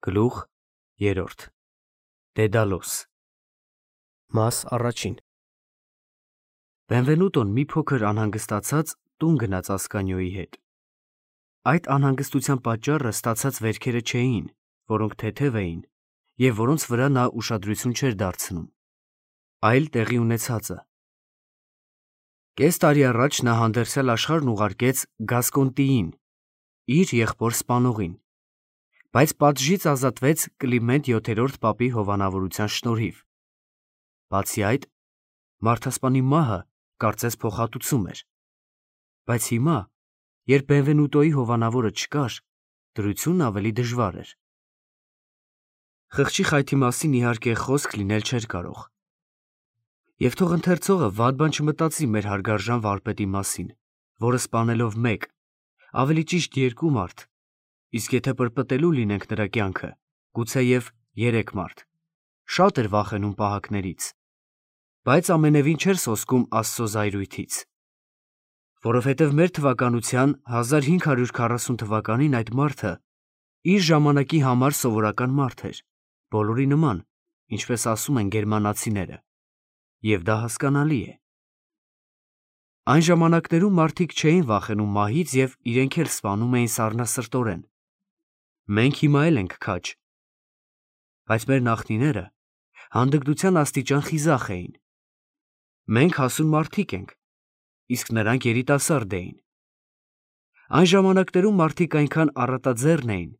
Գլուխ 3 Դեդալոս Մաս առաջին Բենվենուտոն մի փոքր անհանգստացած տուն գնաց Ասկանիոյի հետ։ Այդ անհանգստության պատճառը ստացած վերքերը չէին, որոնք թեթև էին և որոնց վրա նա ուշադրություն չէր դարձնում, այլ տեղի ունեցածը։ Կես տարի առաջ նա հանդերձյալ աշխարհն ուղարկեց Գասկոնտիին, իր եղբոր սպանողին, բայց պատժից ազատվեց Կլիմենտ VII պապի հովանավորության շնորհիվ։ Բացի այդ, մարդասպանի մահը կարծես փոխհատուցում էր, բայց հիմա, երբ Բենվենուտոյի հովանավորը չկար, դրությունն ավելի դժվար էր։ Խղճի խայթի մասին իհարկե խոսք լինել չէր կարող։ Եվ թող ընթերցողը վատ բան չմտածի մեր հարգարժան վարպետի մասին, որը սպանելով մեկ, ավելի ճիշտ երկու մարդ, իսկ եթե պրպտելու լինենք նրա կյանքը, գուցեև 3 մարդ, շատ էր վախենում պահակներից, բայց ամենևին չէր սոսկում Աստծո զայրույթից, որովհետև մեր թվականության 1540 թվականին այդ մարդը իր ժամանակի համար սովորական մարդ էր, բոլորի նման, ինչպես ասում են գերմանացիները, և դա հասկանալի է։ Այն ժամանակներում մարդիկ չէին վախենում մահից և իրենք էլ սպանում էին սառնասրտորեն։ Մենք հիմա էլ ենք քաջ, բայց մեր նախնիները հանդգնության աստիճան խիզախ էին։ Մենք հասուն մարդիկ ենք, իսկ նրանք երիտասարդ էին։ Այն ժամանակներում մարդիկ այնքան առատաձեռն էին,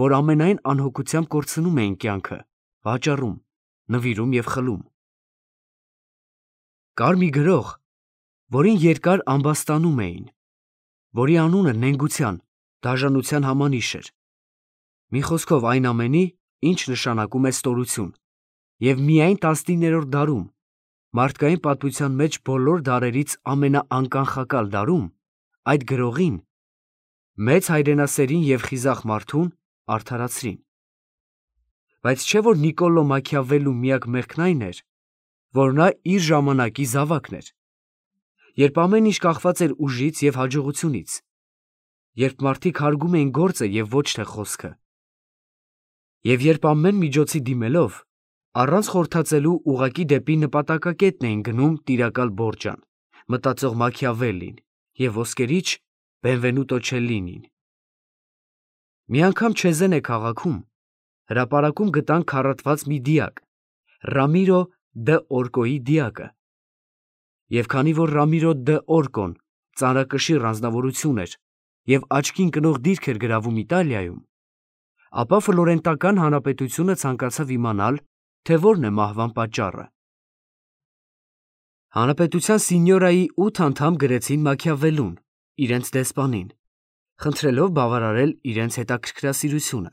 որ ամենայն անհոգությամբ կորցնում էին կյանքը, վաճառում, նվիրում և խլում։ Կար մի գրող, որին երկար ամբաստանում էին, որի անունը նենգության, դաժանության համանիշ էր։ Մի խոսքով այն ամենի, ինչ նշանակում է ստորություն, և միայն 19-րդ դարում, մարդկային պատմության մեջ բոլոր դարերից ամենաանկանխակալ դարում, այդ գրողին, մեծ հայրենասերին և խիզախ մարդուն արդարացրին։ Բայց չէ՞ որ Նիկոլո Մաքիավելլու միակ մեղքն այն էր, որ նա իր ժամանակի զավակն էր, երբ ամեն ինչ կախված էր ուժից և հաջողությունից, երբ մարդիկ հարգում էին գործը և ոչ թե խոսքը, և երբ ամեն միջոցի դիմելով, առանց խորհրդածելու ուղղակի դեպի նպատակակետն էին գնում տիրակալ Բորջան, մտածող Մաքիավելլին և ոսկերիչ Բենվենուտո Չելլինին։ Մի անգամ Չեզենե քաղաքում հրապարակում գտան քառատված մի դիակ, Ռամիրո դը Օրկոյի դիակը, և քանի որ Ռամիրո դը Օրկոն ծանրակշիռ անձնավորություն էր և աչքին կնող դիրք էր գրավում Իտալիայում, ապա Ֆլորենտական հանրապետությունը ցանկացավ իմանալ, թե որն է մահվան պատճառը։ Հանրապետության սինյորայի 8 անդամ գրեցին Մաքիավելլուն, իրենց դեսպանին, խնդրելով բավարարել իրենց հետաքրքրասիրությունը,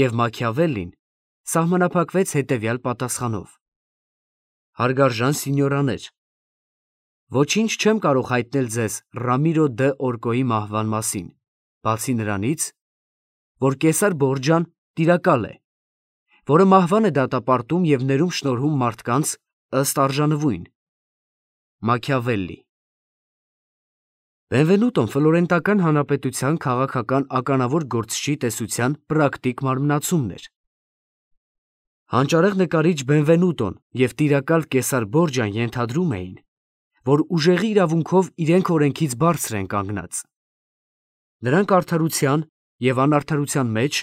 և Մաքիավելլին սահմանափակվեց հետևյալ պատասխանով. Հարգարժան սինյորաներ, ոչինչ չեմ կարող հայտնել ձեզ Ռամիրո դը Օրկոյի մահվան մասին, բացի նրանից, որ կեսար Բորջան տիրակալ է, որը մահվան է դատապարտում և ներում շնորհում մարդկանց ըստ արժանվույն։ Մաքիավելլի։ Բենվենուտոն Ֆլորենտական հանրապետության քաղաքական ականավոր գործչի տեսության պրակտիկ մարմնացումն էր։ Հանճարեղ նկարիչ Բենվենուտոն և տիրակալ կեսար Բորջան ենթադրում էին, որ ուժեղի իրավունքով իրենք օրենքից բարձր են կանգնած։ Նրանք արդարության և անարդարության մեջ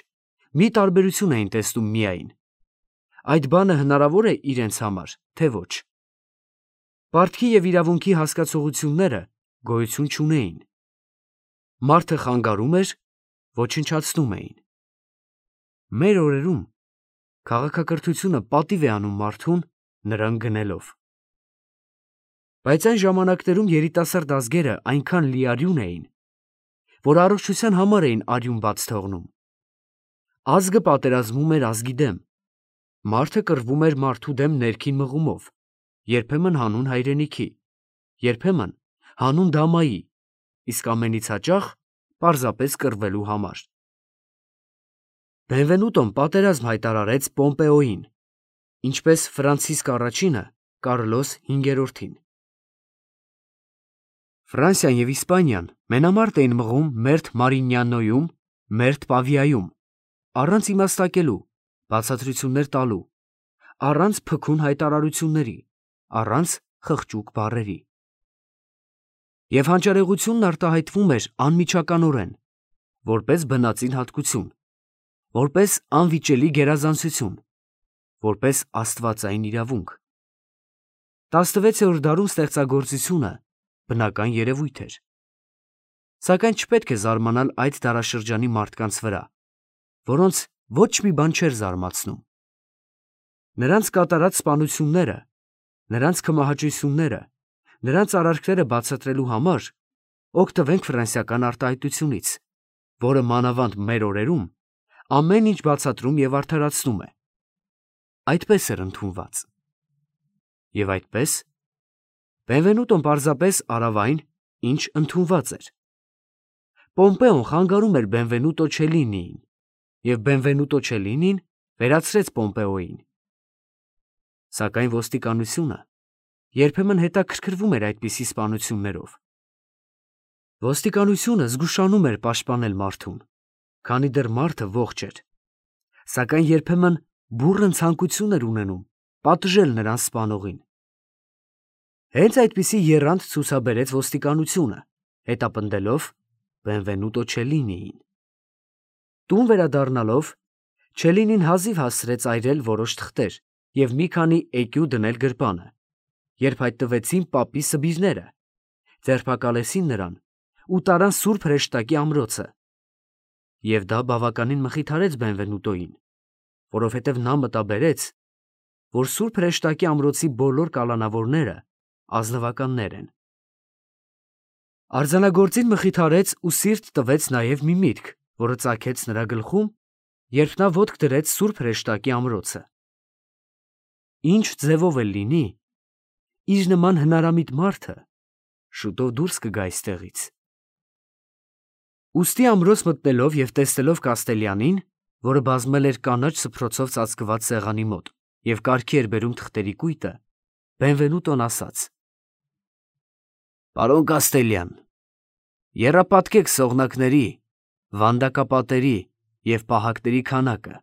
մի տարբերություն էին տեսնում միայն. այդ բանը հնարավոր է իրենց համար, թե ոչ։ Պարտքի և իրավունքի հասկացությունները գոյություն չունեին։ Մարդը խանգարում էր, ոչնչացնում էին։ Մեր օրերում քաղաքակրթությունը պատիվ է անում մարդուն նրան գնելով։ Բայց այն ժամանակներում երիտասարդ ազգերը այնքան լիարյուն էին, որ առողջության համար էին արյուն բաց թողնում։ Ազգը պատերազմում էր ազգի դեմ, մարդը կռվում էր մարդու դեմ ներքին մղումով, երբեմն հանուն հայրենիքի, երբեմն հանուն դամայի, իսկ ամենից հաճախ պարզապես կռվելու համար։ Բենվենուտոն պատերազմ հայտարարեց Պոմպեոյին, ինչպես Ֆրանցիսկ I-ը Կարլոս V-ին։ Ֆրանսիան և Իսպանիան մենամարտ էին մղում Մերթ Մարինյանոյում, Մերթ Պավիայում, առանց իմաստակելու, բացատրություններ տալու, առանց փքուն հայտարարությունների, առանց խղճուկ բառերի։ Եվ հանճարեղությունն արտահայտվում էր անմիջականորեն, որպես բնածին հատկություն, որպես անվիճելի գերազանցություն, որպես աստվածային իրավունք։ 16-րդ դարում ստեղծագործությունը բնական երևույթ էր։ Սակայն չպետք է զարմանալ այդ դարաշրջանի մարդկանց վրա, որոնց ոչ մի բան չէր զարմացնում։ Նրանց կատարած սպանությունները, նրանց քմահաճույցները, նրանց արարքները բացատրելու համար օգտվենք ֆրանսիական արտահայտությունից, որը մանավանդ մեր օրերում ամեն ինչ բացատրում և արդարացնում է։ Այդպես էր ընդունված։ Եվ այդպես Բենվենուտոն պարզապես արավ այն, ինչ ընդունված էր։ Պոմպեոն խանգարում էր Բենվենուտո Չելինիին, և Բենվենուտո Չելինին վերացրեց Պոմպեոյին։ Սակայն ոստիկանությունը երբեմն հետաքրքրվում էր այդպիսի սպանություններով։ Ոստիկանությունը զգուշանում էր պաշտպանել մարդուն, քանի դեռ մարդը ողջ էր, սակայն երբեմն բուռն ցանկություն էր ունենում պատժել նրան սպանողին։ Հենց այդպիսի եռանդ ցուցաբերեց ոստիկանությունը, հետապնդելով Բենվենուտո Չելինիին։ Տուն վերադառնալով, Չելինին հազիվ հասցրեց այրել որոշ թղթեր և մի քանի էկյու դնել գրպանը, երբ հայտնվեցին պապի սբիրները, ձերբակալեցին նրան ու տարան Սուրբ Հրեշտակի ամրոցը։ Եվ դա բավականին մխիթարեց Բենվենուտոյին, որովհետև նա մտաբերեց, որ Սուրբ Հրեշտակի ամրոցի բոլոր կալանավորները ազնվականներ են։ Արձանագործին մխիթարեց ու սիրտ տվեց նաև մի միտք, որը ծագեց նրա գլխում, երբ նա ոտք դրեց Սուրբ Հրեշտակի ամրոցը։ Ինչ ձևով էլ լինի, իր նման հնարամիտ մարդը շուտով դուրս կգա այստեղից։ Ուստի ամրոց մտնելով և տեսնելով Կաստելյանին, որը բազմել էր կանաչ սփռոցով ծածկված սեղանի մոտ և կարգի էր բերում թղթերի կույտը, Բենվենուտոն ասաց. «Պարոն Կաստելյան, եռապատկեք սողնակների, վանդակապատերի և պահակների քանակը,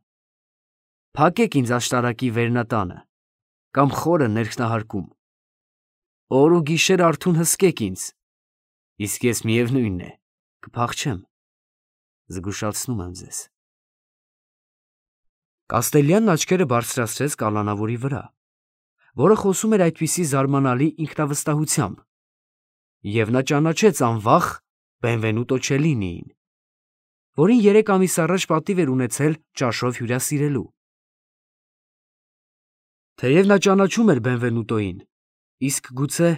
փակեք ինձ աշտարակի վերնատանը կամ խորը ներքնահարկում, օր ու գիշեր արթուն հսկեք ինձ, իսկ ես միևնույն է, կփախչեմ, զգուշացնում եմ ձեզ»։ Կաստելյանն աչքերը բարձրացրեց կալանավորի վրա, որը խոսում էր այդպիսի զարմանալի ինքնավստահությամբ, և նա ճանաչեց անվախ Բենվենուտո Չելինիին, որին 3 ամիս առաջ պատիվ էր ունեցել ճաշով հյուրասիրելու։ Թեև նա ճանաչում էր Բենվենուտոյին, իսկ գուցե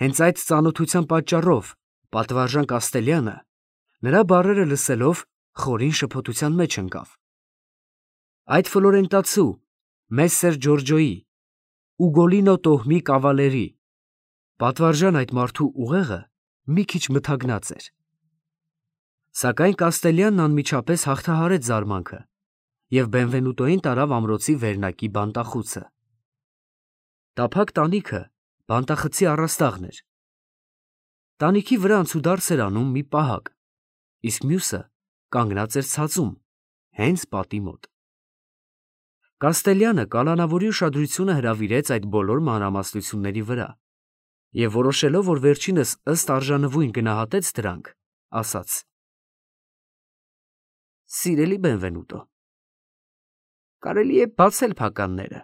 հենց այդ ծանոթության պատճառով պատվարժան Կաստելյանը, նրա բառերը լսելով, խորին շփոթության մեջ ընկավ։ Այդ ֆլորենտացու Մեսսեր Ջորջոյի, Ուգոլինո տոհմի կավալերի, պատվարժան այդ մարդու ուղեղը մի քիչ մթագնած էր։ Սակայն Կաստելյանն անմիջապես հաղթահարեց զարմանքը և Բենվենուտոյին տարավ ամրոցի վերնակի բանտախուցը։ Տափակ տանիքը բանտախցի առաստաղն էր։ Տանիքի վրա անցուդարձ էր անում մի պահակ, իսկ մյուսը կանգնած էր ցածում, հենց պատի մոտ։ Կաստելյանը կալանավորի ուշադրությունը հրավիրեց այդ բոլոր մանրամասնությունների վրա և որոշելով, որ վերջինս ըստ արժանվույն գնահատեց դրանք, ասաց. «Սիրելի Բենվենուտո, կարելի է բացել փականները,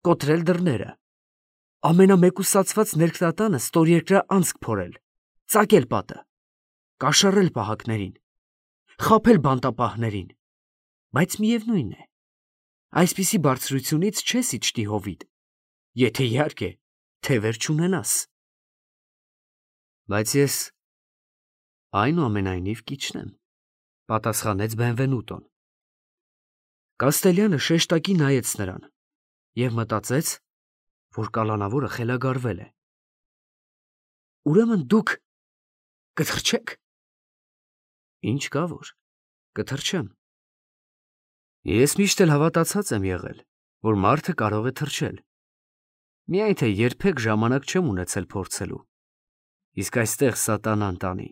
կոտրել դռները, ամենամեկուսացված ներքնատանը ստորերկրά անցք փորել, ծակել պատը, կաշառել պահակներին, խաբել բանտապահներին, բայց միևնույն է, այսպիսի բարձրությունից չես իջնի հովիտ, եթե իհարկե թևեր չունենաս»։ «Բայց ես այնուամենայնիվ կիջնեմ», պատասխանեց Բենվենուտոն։ Կաստելյանը շեշտակի նայեց նրան և մտածեց, որ կալանավորը խելագարվել է։ «Ուրեմն դուք կթռչե՞ք»։ «Ինչ կա որ, կթռչեմ։ Ես միշտ էլ հավատացած եմ եղել, որ մարդը կարող է թռչել, միայն թե երբեք ժամանակ չեմ ունեցել փորձելու, իսկ այստեղ սատանան տանի,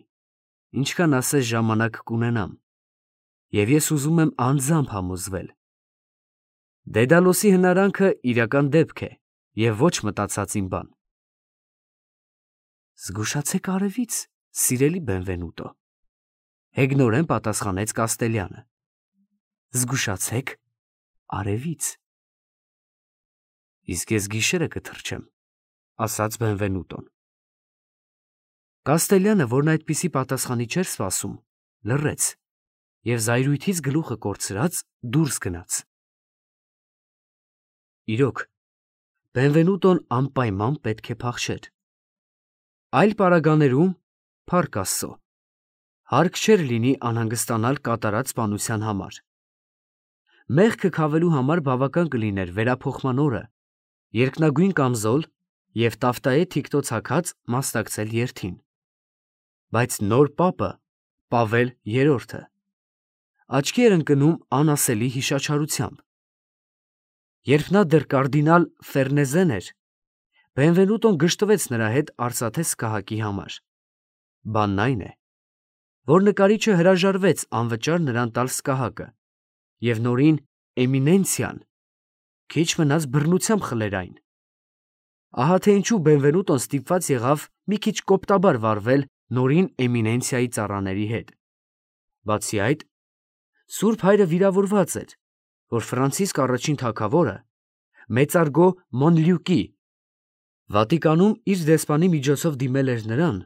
ինչքան ասես ժամանակ կունենամ»։ և ես ուզում եմ անձամբ համոզվել։ Դեդալոսի հնարանքը իրական դեպք է և ոչ մտածած իմ բան։ Զգուշացեք արևից, սիրելի Բենվենուտո, հեգնորեն պատասխանեց Կաստելյանը։ Զգուշացեք արևից։ Իսկ ես գիշերը կթռչեմ, ասաց Բենվենուտոն։ Կաստելյանը, որն այդպիսի պատասխանի չէր սպասում, լռեց և զայրույթից գլուխը կորցրած դուրս գնաց։ Իրոք, Բենվենուտոն անպայման պետք է փախչեր։ Այլ պարագաներում, փառք Աստծո, հարկ չէր լինի անհանգստանալ կատարած սպանության համար։ Մեղքը քավելու համար բավական կլիներ վերափոխման օրը, երկնագույն կամզոլ և տաֆտայե թիկնոց հագած մասնակցել երթին։ Բայց նոր պապը, Պավել III, աչքի էր ընկնում անասելի հիշաչարությամբ։ Երբ նա դեռ կարդինալ Ֆերնեզեն էր, Բենվենուտոն գժտվեց նրա հետ արծաթե սքահակի համար։ Բանն այն է, որ նկարիչը հրաժարվեց անվճար նրան տալ սքահակը, և նորին Էմինենցիան քիչ մնաց բռնությամբ խլեր այն։ Ահա թե ինչու Բենվենուտոն ստիպված եղավ մի քիչ կոպտաբար վարվել նորին Էմինենցիայի ծառաների հետ։ Բացի այդ, Սուրբ Հայրը վիրավորված էր, որ Ֆրանցիսկ առաջին թագավորը մեծարգո Մոնլյուկի Վատիկանում իր դեսպանի միջոցով դիմել էր նրան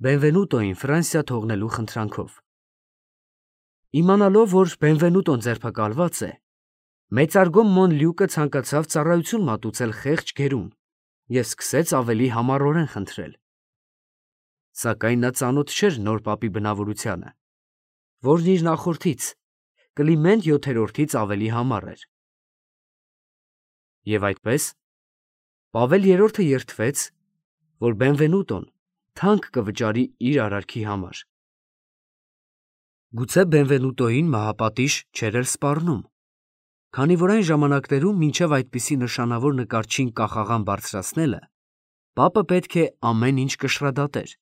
Բենվենուտոին Ֆրանսիա թողնելու խնդրանքով։ Իմանալով, որ Բենվենուտոն ձերբակալված է, մեծարգո Մոնլյուկը ցանկացավ ծառայություն մատուցել խեղճ գերուն և սկսեց ավելի համառորեն խնդրել։ Սակայն նա ծանոթ չէր նոր պապի բնավորությանը, որն իր նախորդից՝ Կլիմենտ VII-ից ավելի համառ էր։ Եվ այդպես, Պավել III-ը երդվեց, որ Բենվենուտոն թանկ կվճարի իր արարքի համար։ Գուցե Բենվենուտոյին մահապատիժ չէր էլ սպառնում, քանի որ այն ժամանակներում մինչև այդպիսի նշանավոր նկարչին կախաղան բարձրացնելը, պապը պետք է ամեն ինչ կշռադատեր,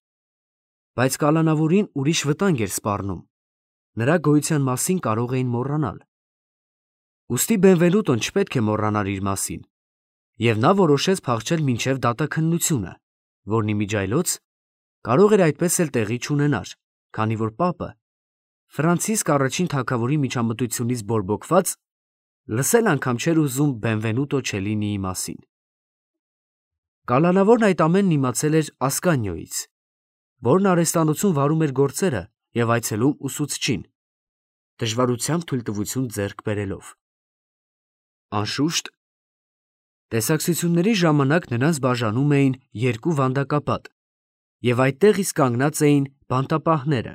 բայց կալանավորին ուրիշ վտանգ էր սպառնում, նրա գոյության մասին կարող էին մոռանալ։ Ուստի Բենվենուտոն չպետք է մոռանար իր մասին, և նա որոշեց փախչել մինչև դատաքննությունը, որն իմիջիայլոց կարող էր այդպես էլ տեղի չունենար, քանի որ պապը, Ֆրանցիսկ առաջին թագավորի միջամտությունից բորբոքված, լսել անգամ չէր ուզում Բենվենուտո Չելինիի մասին։ Կալանավորն այդ ամենն իմացել էր Ասկանիոյից, որն արհեստանոցում վարում էր գործերը և այցելում ուսուցչին, դժվարությամբ թույլտվություն ձեռք բերելով։ Անշուշտ, տեսակցությունների ժամանակ նրանց բաժանում էին երկու վանդակապատ, և այդտեղ իսկ կանգնած էին բանտապահները,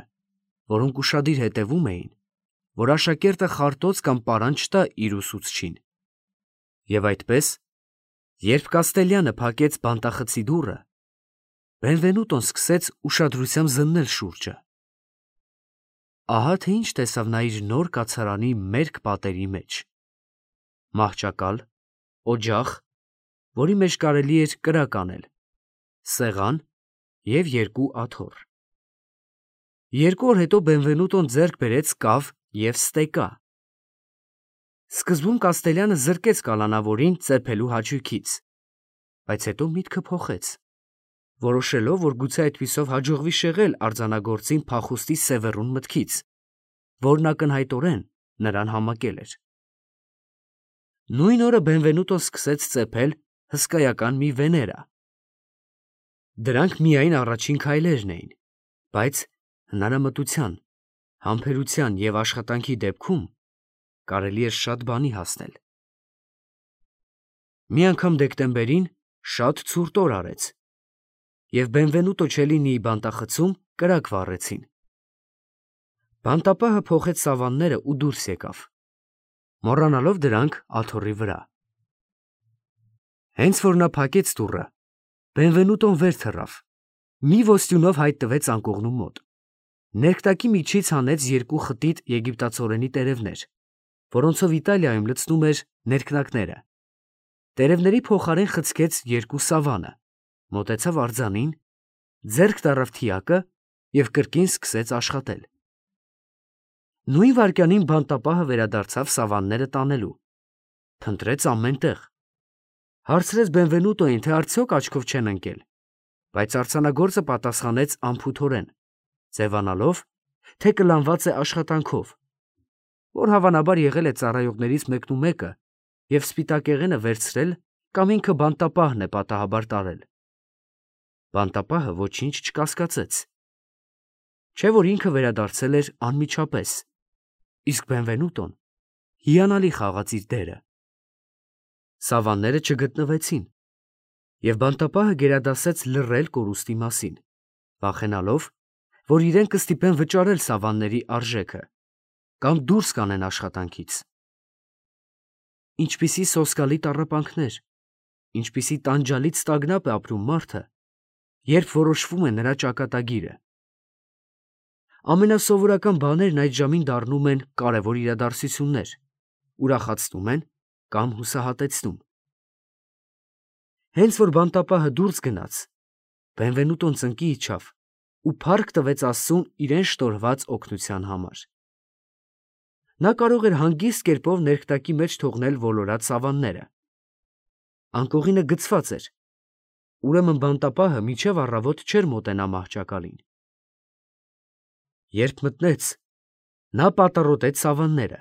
որոնք ուշադիր հետևում էին, որ աշակերտը խարտոց կամ պարան չտա իր ուսուցչին։ Եվ այդպես, երբ Կաստելյանը փակեց բանտախցի դուռը, Բենվենուտոն սկսեց ուշադրությամբ զննել շուրջը։ Ահա թե ինչ տեսավ նա իր նոր կացարանի մերկ պատերի մեջ. մահճակալ, օջախ, որի մեջ կարելի էր կրակ անել, սեղան և երկու աթոռ։ Երկու օր հետո Բենվենուտոն ձեռք բերեց կավ և ստեկա։ Սկզբում Կաստելյանը զրկեց կալանավորին ծեփելու հաճույքից, բայց հետո միտքը փոխեց, որոշելով, որ գուցե այդպիսով հաջողվի շեղել արձանագործին փախուստի սևեռուն մտքից, որն ակնհայտորեն նրան համակել էր։ Նույն օրը Բենվենուտոն սկսեց ծեփել հսկայական մի վեներա։ Դրանք միայն առաջին քայլերն էին, բայց հնարամտության, համբերության և աշխատանքի դեպքում կարելի էր շատ բանի հասնել։ Մի անգամ դեկտեմբերին շատ ցուրտ օր արեց, և Բենվենուտո Չելինիի բանտախցում կրակ վառեցին։ Բանտապահը փոխեց սավանները ու դուրս եկավ, մոռանալով դրանք աթոռի վրա։ Հենց որ նա փակեց դուռը, Բենվենուտոն վեր թռավ, մի ոստյունով հայտ տվեց անկողնու մոտ, ներկտակի միջից հանեց երկու խտիտ եգիպտացորենի տերևներ, որոնցով Իտալիայում լցնում էր ներքնակները, տերևների փոխարեն խցկեց երկու սավանը, մոտեցավ արձանին, ձեռք տարավ թիակը և կրկին սկսեց աշխատել։ Նույն վայրկյանին բանտապահը վերադարձավ սավանները տանելու։ Փնտրեց ամեն տեղ։ Հարցրեց Բենվենուտոին, թե արդյոք աչքով չեն ընկել, բայց արձանագործը պատասխանեց անփութորեն, ձևանալով, թե կլանված է աշխատանքով, որ հավանաբար եղել է ծառայողներից մեկնումեկը և սպիտակեղենը վերցրել կամ ինքը բանտապահն է պատահաբար տարել։ Բանտապահը ոչինչ չկասկածեց։ Չէ՞ որ ինքը վերադարձել էր անմիջապես, իսկ Բենվենուտոն հիանալի խաղաց իր դերը։ Սավանները չգտնվեցին, և բանտապահը գերադասեց լռել կորուստի մասին, վախենալով, որ իրեն կստիպեն վճարել սավանների արժեքը կամ դուրս կանեն աշխատանքից։ Ինչպիսի սոսկալի տառապանքներ, ինչպիսի տանջալից տագնապ է ապրում մարդը, երբ որոշվում է նրա ճակատագիրը։ Ամենասովորական բաներն այդ ժամին դառնում են կարևոր իրադարձություններ, ուրախացնում են կամ հուսահատեցնում։ Հենց որ բանտապահը դուրս գնաց, Բենվենուտոն ծնկի իջավ ու փառք տվեց Աստծուն իրեն շնորհված օգնության համար։ Նա կարող էր հանգիստ կերպով ներքտակի մեջ թողնել ոլորած սավանները։ Անկողինը գցված էր, ուրեմն բանտապահը մինչև առավոտ չէր մոտենա մահճակալին։ Երբ մտնեց, նա պատառոտեց սավանները,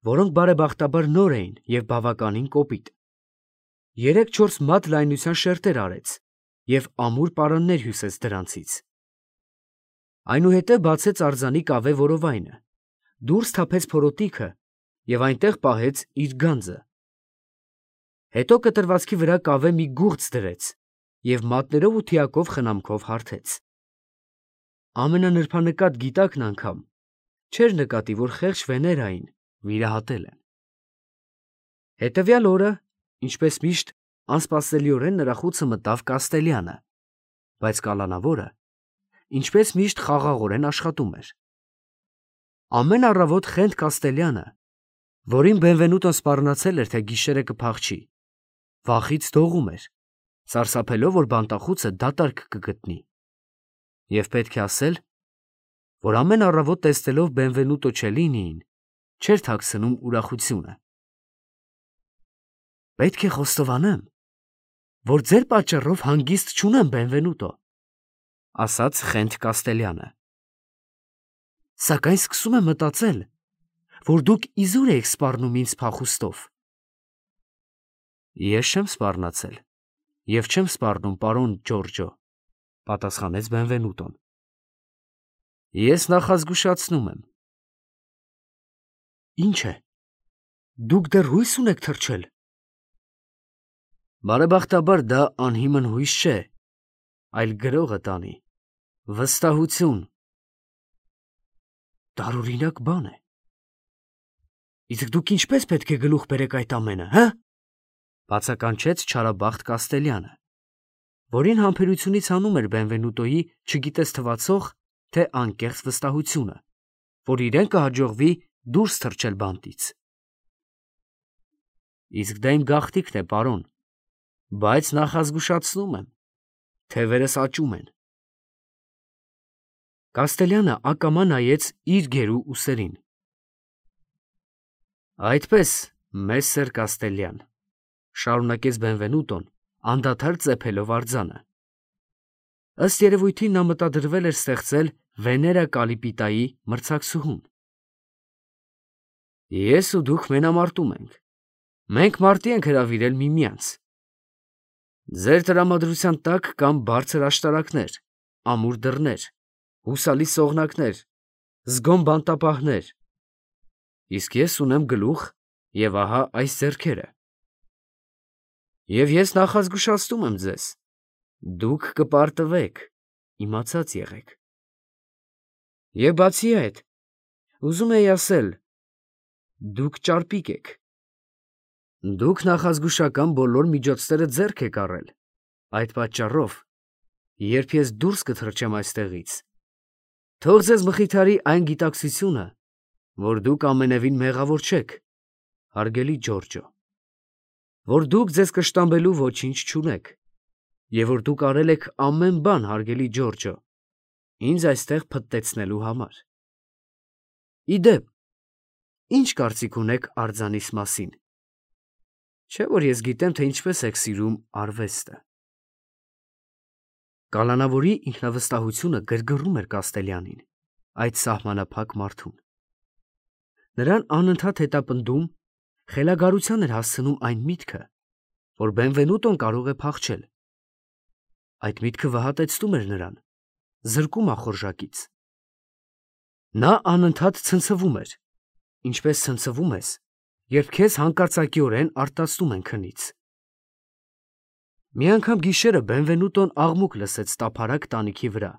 որոնք բարեբախտաբար նոր էին և բավականին կոպիտ։ 3-4 մատ լայնության շերտեր արեց և ամուր պարաններ հյուսեց դրանցից։ Այնուհետև բացեց արձանի կավե որովայնը, դուրս թափեց փորոտիքը և այնտեղ պահեց իր գանձը։ Հետո կտրվածքի վրա կավե մի գուղծ դրեց և մատներով ու թիակով խնամքով հարթեց։ Ամենանրբանկատ գիտակն անգամ չէր նկատի, որ խեղճ Վեներային վիրահատել են։ Հետևյալ օրը, ինչպես միշտ, անսպասելիորեն նրա խուցը մտավ Կաստելյանը, բայց կալանավորը, ինչպես միշտ, խաղաղորեն աշխատում էր։ Ամեն առավոտ խենթ Կաստելյանը, որին Բենվենուտոն սպառնացել էր, թե գիշերը կփախչի, վախից դողում էր, սարսափելով, որ բանտախուցը դատարկ կգտնի։ Եվ պետք է ասել, որ ամեն առավոտ տեսնելով Բենվենուտո Չելլինիին, չէր թաքցնում ուրախությունը։ Պետք է խոստովանեմ, որ ձեր պատճառով հանգիստ չունեմ, Բենվենուտո, ասաց խենթ Կաստելյանը։ Սակայն սկսում եմ մտածել, որ դուք իզուր եք սպառնում ինձ փախուստով։ Ես չեմ սպառնացել և չեմ սպառնում, պարոն Ջորջո, պատասխանեց Բենվենուտոն։ Ես նախազգուշացնում եմ։ Ինչ է, դուք դեռ հույս ունեք թռչել։ Բարեբախտաբար դա անհիմն հույս չէ, այլ գրողը տանի, վստահություն։ Տարօրինակ բան է։ Իսկ դուք ինչպես պետք է գլուխ բերեք այդ ամենը, հը՞։ Բացականչեց չարաբախտ Կաստելյանը, որին համբերությունից հանում էր Բենվենուտոյի չգիտես թվացող, թե անկեղծ վստահությունը, որ իրեն կհաջողվի դուրս թռչել բանտից։ Իսկ դա իմ գաղտնիքն է, պարոն, բայց նախազգուշացնում եմ, թևերս աճում են։ Կաստելյանը ակամա նայեց իր գերու ուսերին։ Այդպես, մեսսեր Կաստելյան, շարունակեց Բենվենուտոն, անդադար ծեփելով արձանը։ Ըստ երևույթին նա մտադրվել էր ստեղծել Վեներա Կալիպիտայի մրցակցուհուն։ Ես ու դուք մենամարտում ենք։ Մենք մարտի ենք հրավիրել միմյանց։ Ձեր տրամադրության տակ կան բարձր աշտարակներ, ամուր դռներ, հուսալի սողնակներ, զգոն բանտապահներ, իսկ ես ունեմ գլուխ և ահա այս ձեռքերը։ Եվ ես նախազգուշացնում եմ ձեզ. դուք կպարտվեք, իմացած եղեք։ Եվ բացի այդ, ուզում էի ասել, դուք ճարպիկ եք։ Դուք նախազգուշական բոլոր միջոցները ձեռք եք առել, այդ պատճառով, երբ ես դուրս կթռչեմ այստեղից, թող ձեզ մխիթարի այն գիտակցությունը, որ դուք ամենևին մեղավոր չեք, հարգելի Ջորջո, որ դուք ձեզ կշտամբելու ոչինչ չունեք, և որ դուք արել եք ամեն բան, հարգելի Ջորջո, ինձ այստեղ փտտեցնելու համար։ Ի դեպ, Ինչ կարծիք ունեք արձանիս մասին։ Չէ՞ որ ես գիտեմ, թե ինչպես եք սիրում արվեստը։ Կալանավորի ինքնավստահությունը գրգռում էր Կաստելյանին, այդ սահմանափակ մարդուն։ Նրան անընդհատ հետապնդում, խելագարության էր հասցնում այն միտքը, որ Բենվենուտոն կարող է փախչել։ Այդ միտքը վհատեցնում էր նրան, զրկում ախորժակից։ Նա անընդհատ ցնցվում էր, ինչպես ցնցվում ես, երբ քեզ հանկարծակիորեն արտասնում են քնից։ Մի անգամ գիշերը Բենվենուտոն աղմուկ լսեց տափարակ տանիքի վրա։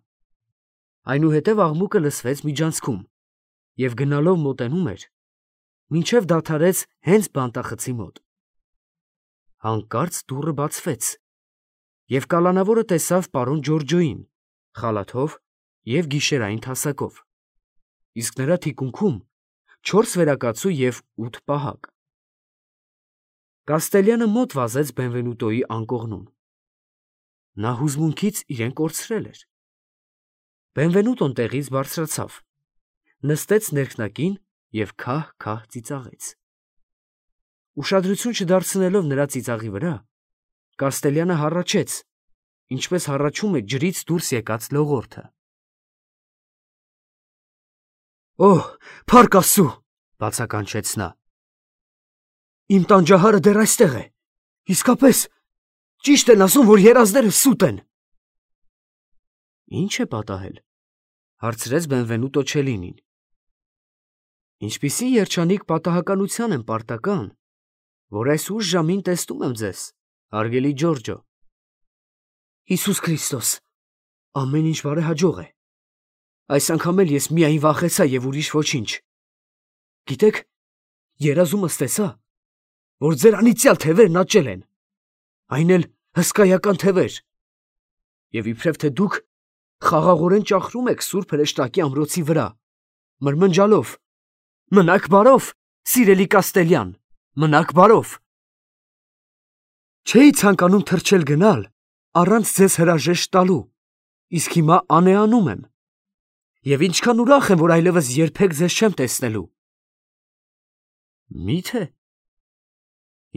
Այնուհետև աղմուկը լսվեց միջանցքում և գնալով մոտենում էր, մինչև դադարեց հենց բանտախցի մոտ։ Հանկարծ դուռը բացվեց, և կալանավորը տեսավ պարոն Ջորջոյին, խալաթով և գիշերային թասակով, իսկ նրա թիկունքում 4 վերակացու և 8 պահակ։ Կաստելյանը մոտ վազեց Բենվենուտոյի անկողնուն։ Նա հուզմունքից իրեն կորցրել էր։ Բենվենուտոն տեղից բարձրացավ, նստեց ներքնակին և քահ-քահ ծիծաղեց։ Ուշադրություն չդարձնելով նրա ծիծաղի վրա, Կաստելյանը հառաչեց, ինչպես հառաչում է ջրից դուրս եկած լողորդը։ «Օհ, փառք Աստծու», բացականչեց նա։ «Իմ տանջահարը դեռ այստեղ է, իսկապես, ճիշտ են ասում, որ երազները սուտ են»։ «Ի՞նչ է պատահել», հարցրեց Բենվենուտո Չելինին։ «Ինչպիսի երջանիկ պատահականության եմ պարտական, որ այս ուշ ժամին տեսնում եմ ձեզ, հարգելի Ջորջո»։ «Հիսուս Քրիստոս, ամեն ինչ բարեհաջող է։ Այս անգամ էլ ես միայն վախեցա և ուրիշ ոչինչ։ Գիտեք, երազումս տեսա, որ ձեր անիծյալ թևերն աճել են, այն էլ հսկայական թևեր, և իբրև թե դուք խաղաղորեն ճախրում եք սուրբ հրեշտակի ամրոցի վրա, մրմնջալով. «Մնաք բարով, սիրելի Կաստելյան, մնաք բարով»։ Չէի ցանկանում թռչել գնալ առանց ձեզ հրաժեշտ տալու, իսկ հիմա անեանում եմ, և ինչքան ուրախ եմ, որ այլևս երբեք ձեզ չեմ տեսնելու։ Մի՞թե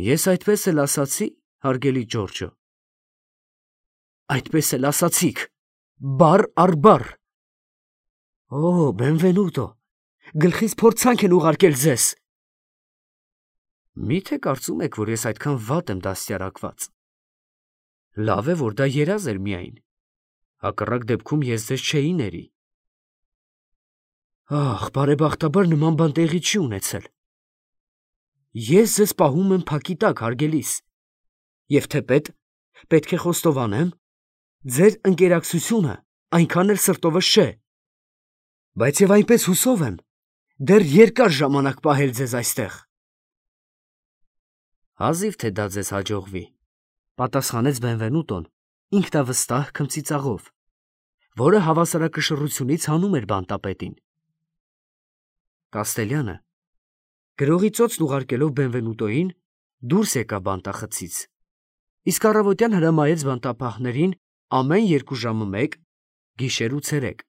ես այդպես էլ ասացի, հարգելի Ջորջո։ Այդպես էլ ասացիք, բառ առ բառ։ Օ, Բենվենուտո, գլխից փորձանք են ուղարկել ձեզ։ Մի՞թե կարծում եք, որ ես այդքան վատ եմ դաստիարակված։ Լավ է, որ դա երազ էր միայն, հակառակ դեպքում ես ձեզ չէի ների։ Ահ, բարեբախտաբար նման բան տեղի չի ունեցել։ Ես ձեզ պահում եմ փակի տակ, հարգելիս, և թեպետ պետք է խոստովանեմ, ձեր ընկերակցությունը այնքան էլ սրտովս չէ, բայց և այնպես հուսով եմ դեռ երկար ժամանակ պահել ձեզ այստեղ։ Հազիվ թե դա ձեզ հաջողվի, պատասխանեց Բենվենուտոն ինքնավստահ քմծիծաղով, որը հավասարակշռությունից հանում էր բանտապետին։ Կաստելյանը, գրողի ծոցն ուղարկելով Բենվենուտոյին, դուրս եկավ բանտախցից, իսկ առավոտյան հրամայեց բանտապահներին ամեն 2 ժամը մեկ, գիշեր ու ցերեկ,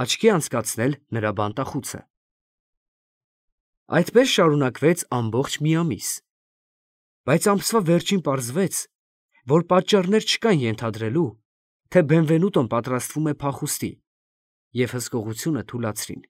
աչքի անցկացնել նրա բանտախուցը։ Այդպես շարունակվեց ամբողջ մի ամիս, բայց ամսվա վերջին պարզվեց, որ պատճառներ չկան ենթադրելու, թե Բենվենուտոն պատրաստվում է փախուստի, և հսկողությունը թուլացրին։